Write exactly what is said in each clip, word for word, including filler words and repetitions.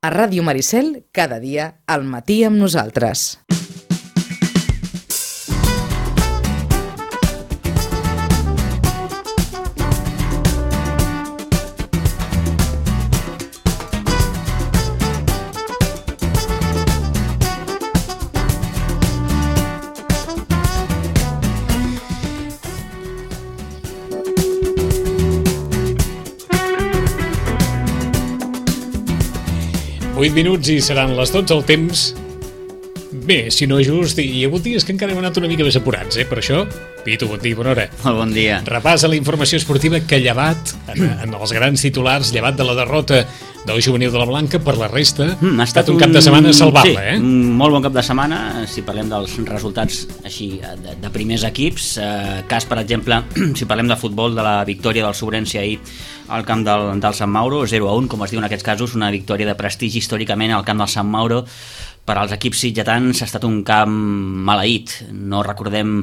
A Ràdio Maricel, cada dia, al matí amb nosaltres. vuit minuts i seran les dotze el temps. Bé, si no just, hi ha hagut dies que encara hem anat una mica més apurats, eh? Per això, Pitu, bon dia, bona hora. Molt bon dia. Repàs a la informació esportiva que llevat, en, en els grans titulars, llevat de la derrota del juvenil de la Blanca, per la resta, mm, ha estat un, un cap de setmana salvable, sí, eh? un molt bon cap de setmana, si parlem dels resultats així de, de primers equips. Eh, cas, per exemple, si parlem de futbol, de la victòria del Sobrense ahir al camp del, del Sant Mauro, zero a un, com es diu en aquests casos, una victòria de prestigi històricament al camp del Sant Mauro. Per als equips sitgetans ha estat un camp maleït. No recordem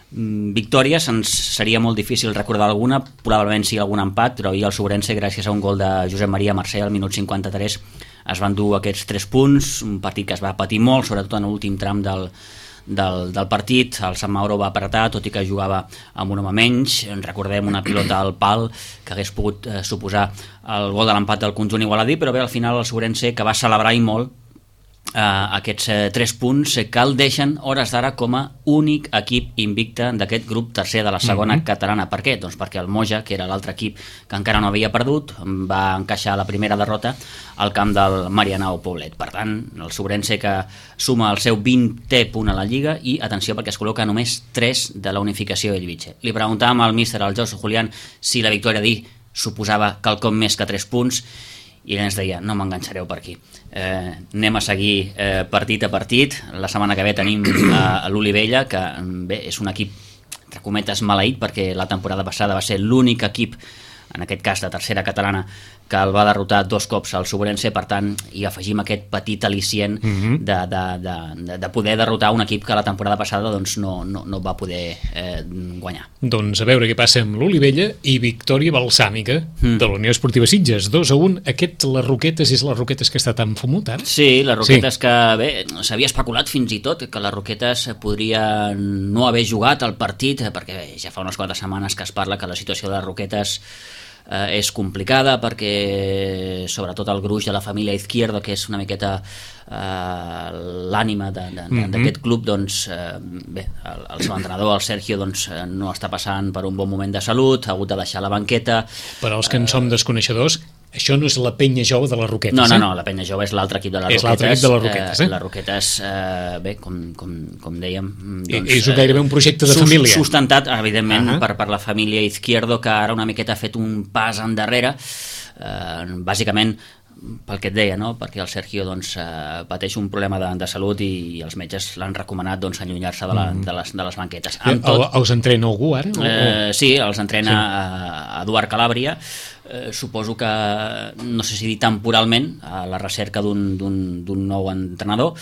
victòries, ens seria molt difícil recordar alguna, probablement sí algun empat, però ahir el Sobrense, gràcies a un gol de Josep Maria Mercè al minut cinquanta-tres, es van dur aquests tres punts, un partit que es va patir molt, sobretot en l'últim tram del, del, del partit. El Sant Mauro va apretar, tot i que jugava amb un home menys. Recordem una pilota al pal que hagués pogut eh, suposar el gol de l'empat del conjunt igualadí, però bé, al final el Sobrense, que va celebrar i molt Uh, aquests uh, tres punts uh, que el deixen hores d'ara com a únic equip invicte d'aquest grup tercer de la segona mm-hmm. catalana. Per què? Doncs perquè el Moja, que era l'altre equip que encara no havia perdut, va encaixar la primera derrota al camp del Marianao Poblet. Per tant, el Sobrense, que suma el seu vintè punt a la Lliga, i atenció perquè es col·loca només tres de la unificació Elviche. Li preguntàvem al míster, al Josu Julián, si la victòria d'ahir suposava quelcom més que tres punts, i ell ens deia, no m'enganxareu per aquí, eh, anem a seguir eh, partit a partit. La setmana que ve tenim a, a l'Olivella, que bé, és un equip entre cometes maleït, perquè la temporada passada va ser l'únic equip, en aquest cas de tercera catalana, que el va derrotar dos cops al Sobrense. Per tant, hi afegim aquest petit al·licient mm-hmm. de, de, de, de poder derrotar un equip que la temporada passada doncs, no, no, no va poder eh, guanyar. Doncs a veure què passa amb l'Olivella i victòria balsàmica mm. de la Unió Esportiva Sitges, dos a un. Aquest, les Roquetes, és les Roquetes que està tan fumut ara? Sí, les Roquetes sí. Que bé, s'havia especulat fins i tot que les Roquetes podria no haver jugat el partit, perquè bé, ja fa unes quantes setmanes que es parla que la situació de les Roquetes Eh, és complicada, perquè sobretot el gruix de la família Izquierdo, que és una miqueta eh, l'ànima de, de, mm-hmm. d'aquest club, doncs eh, bé, el, el seu entrenador, el Sergio, doncs, eh, no està passant per un bon moment de salut, ha hagut de deixar la banqueta. Per als que en som desconeixedors, això no és la Penya Jove de les Roquetes, no, no, eh? no, la Penya Jove és l'altre equip de les és Roquetes. És l'altre equip de les Roquetes, eh? eh? Les Roquetes, eh, bé, com, com, com dèiem... Doncs, és gairebé un projecte de sus, família. Sustentat, evidentment, uh-huh. per, per la família Izquierdo, que ara una miqueta ha fet un pas endarrere, eh, bàsicament pel que et deia, no? Perquè el Sergio doncs, eh, pateix un problema de, de salut i, i els metges l'han recomanat doncs, allunyar-se de, la, de, les, de les banquetes. Amb tot, el, els entrena algú ara? Eh, sí, els entrena sí. a Eduard Calàbria. Eh, suposo que, no sé si dir temporalment, a la recerca d'un, d'un, d'un nou entrenador.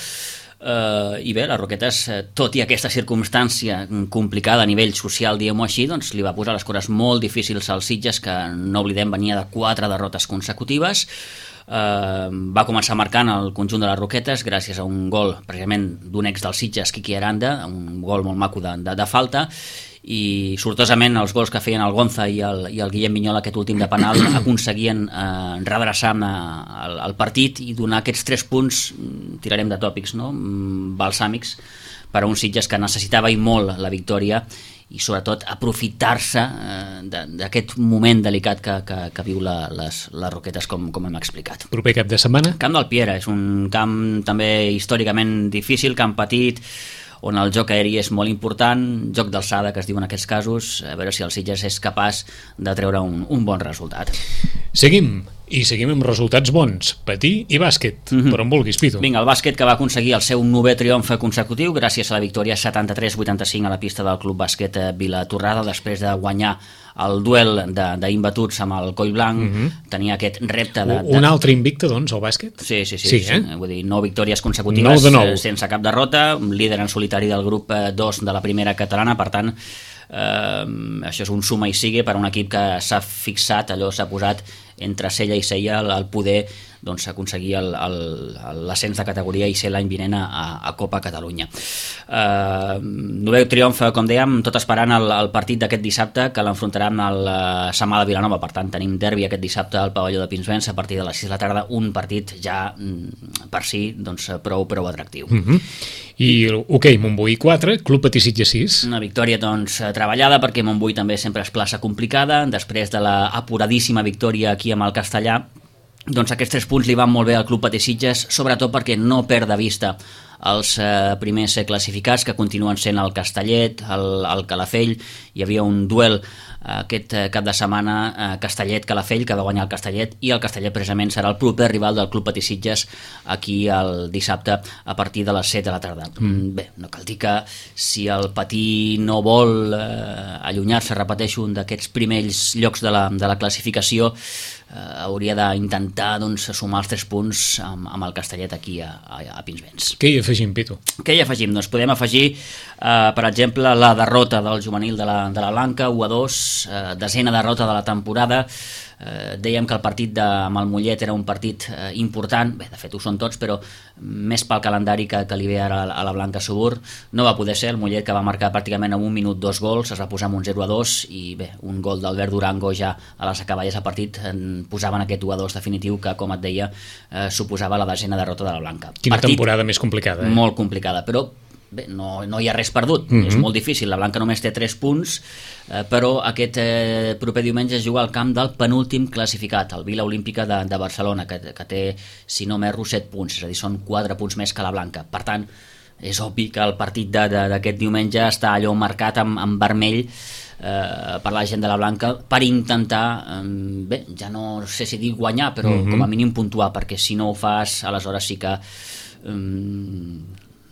Uh, i bé, les Roquetes, tot i aquesta circumstància complicada a nivell social, diguem-ho així, doncs li va posar les coses molt difícils als Sitges, que no oblidem venia de quatre derrotes consecutives. Uh, va començar marcant el conjunt de les Roquetes gràcies a un gol precisament d'un ex del Sitges, Quiqui Aranda, un gol molt maco de, de, de falta, i sortosament els gols que feien el Gonza i el, i el Guillem Vinyol, aquest últim de penal, aconseguien eh, redreçar el, el partit i donar aquests tres punts, tirarem de tòpics, no? balsàmics, per a un Sitges que necessitava i molt la victòria, i sobretot aprofitar-se eh, d'aquest moment delicat que, que, que viu la, les, les Roquetes, com, com hem explicat. Proper cap de setmana? Camp del Piera, és un camp també històricament difícil, camp petit, on el joc aeri és molt important, joc d'alçada que es diu en aquests casos, a veure si el Sitges és capaç de treure un, un bon resultat. Seguim, i seguim amb resultats bons, patí i bàsquet, mm-hmm. per on vulguis, Pitu. Vinga, el bàsquet, que va aconseguir el seu novè triomf consecutiu gràcies a la victòria setanta-tres a vuitanta-cinc a la pista del Club Bàsquet Vilatorrada, després de guanyar el duel d'imbatuts amb el Coll Blanc. Mm-hmm. Tenia aquest repte de, de... Un altre invicte, doncs, al bàsquet? Sí, sí, sí, sí, sí. Eh? Vull dir, nou victòries consecutives, nou de nou. sense cap derrota, líder en solitari del grup dos de la primera catalana. Per tant, eh, això és un suma i sigue per a un equip que s'ha fixat, allò s'ha posat entre cella i cella el poder doncs, aconseguir l'ascens de categoria i ser l'any vinent a, a Copa Catalunya. Eh, novè triomf, com dèiem, tot esperant el, el partit d'aquest dissabte, que l'enfrontarà amb el Samà de Vilanova. Per tant, tenim derbi aquest dissabte al pavelló de Pinsbens a partir de les sis de la tarda, un partit ja per si doncs, prou, prou atractiu. Mm-hmm. I hoquei, Montbui quatre, Club Patí Sitges sis. Una victòria doncs, treballada, perquè Montbui també sempre es plaça complicada. Després de la apuradíssima victòria aquí amb el Castellà, doncs aquests tres punts li van molt bé al Club Patí Sitges, sobretot perquè no perd de vista els eh, primers classificats, que continuen sent el Castellet, el, el Calafell. Hi havia un duel eh, aquest cap de setmana, eh, Castellet-Calafell, que va guanyar el Castellet, i el Castellet precisament serà el proper rival del Club Patí Sitges aquí el dissabte a partir de les set de la tarda. Mm. Bé, no cal dir que si el Patí no vol eh, allunyar-se, repeteixo, un d'aquests primers llocs de la, de la classificació, eh, hauria d'intentar doncs, sumar els tres punts amb, amb el Castellet aquí a, a, a Pinsbens. Què hi afegim, Pitu? Què hi afegim? Doncs podem afegir, eh, per exemple, la derrota del juvenil de la, de la Blanca, u a dos, eh, desena derrota de la temporada. Eh, dèiem que el partit de, amb el Mollet era un partit eh, important, bé, de fet ho són tots, però més pel calendari que, que li ve ara a la Blanca Subur. No va poder ser el Mollet, que va marcar pràcticament en un minut dos gols, es va posar amb un zero a dos, i bé, un gol d'Albert Durango ja a les acaballes del partit en posaven aquest u a dos definitiu que, com et deia, eh, suposava la desena derrota de la Blanca. Quina partit temporada més complicada, eh? Molt complicada, però bé, no, no hi ha res perdut, mm-hmm. És molt difícil. La Blanca només té tres punts, eh, però aquest eh, proper diumenge es juga al camp del penúltim classificat, el Vila Olímpica de, de Barcelona, que, que té, si no m'erro, set punts, és a dir, són quatre punts més que la Blanca. Per tant, és obvi que el partit d'aquest diumenge està allò marcat amb, amb vermell eh, per la gent de la Blanca, per intentar, eh, bé, ja no sé si dir guanyar, però mm-hmm. com a mínim puntuar, perquè si no ho fas, aleshores sí que eh,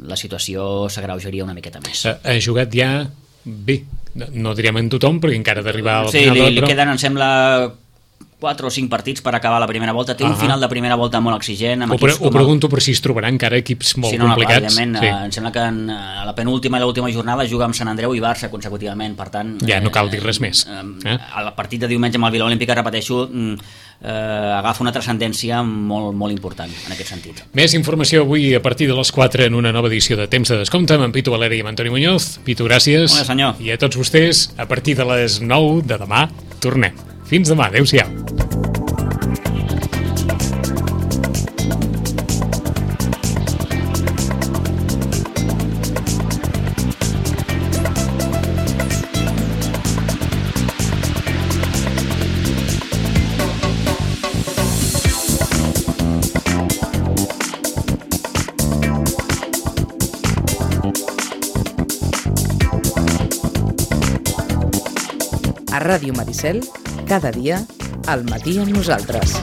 la situació s'agreujaria una miqueta més. Ha, ha jugat ja bé, no, no direm en tothom, perquè encara d'arribar al sí, final... Sí, li, li però... queden, em sembla, quatre o cinc partits per acabar la primera volta. Té uh -huh. un final de primera volta molt exigent. Amb ho, pre ho pregunto per si es trobaran encara equips molt sí, no, complicats. No, sí. eh, em sembla que en, a la penúltima i l'última jornada juga amb Sant Andreu i Barça consecutivament, per tant... Ja, no cal dir res més. Eh, eh? El partit de diumenge amb el Vila Olímpica, repeteixo, eh, agafa una transcendència molt, molt important en aquest sentit. Més informació avui a partir de les quatre en una nova edició de Temps de Descompte amb en Pitu Valeri i amb Antoni Muñoz. Pitu, gràcies. Bona, senyor. I a tots vostès, a partir de les nou de demà, tornem. Fins demà, adeu-siau. A Ràdio Maricel, cada dia, al matí amb nosaltres.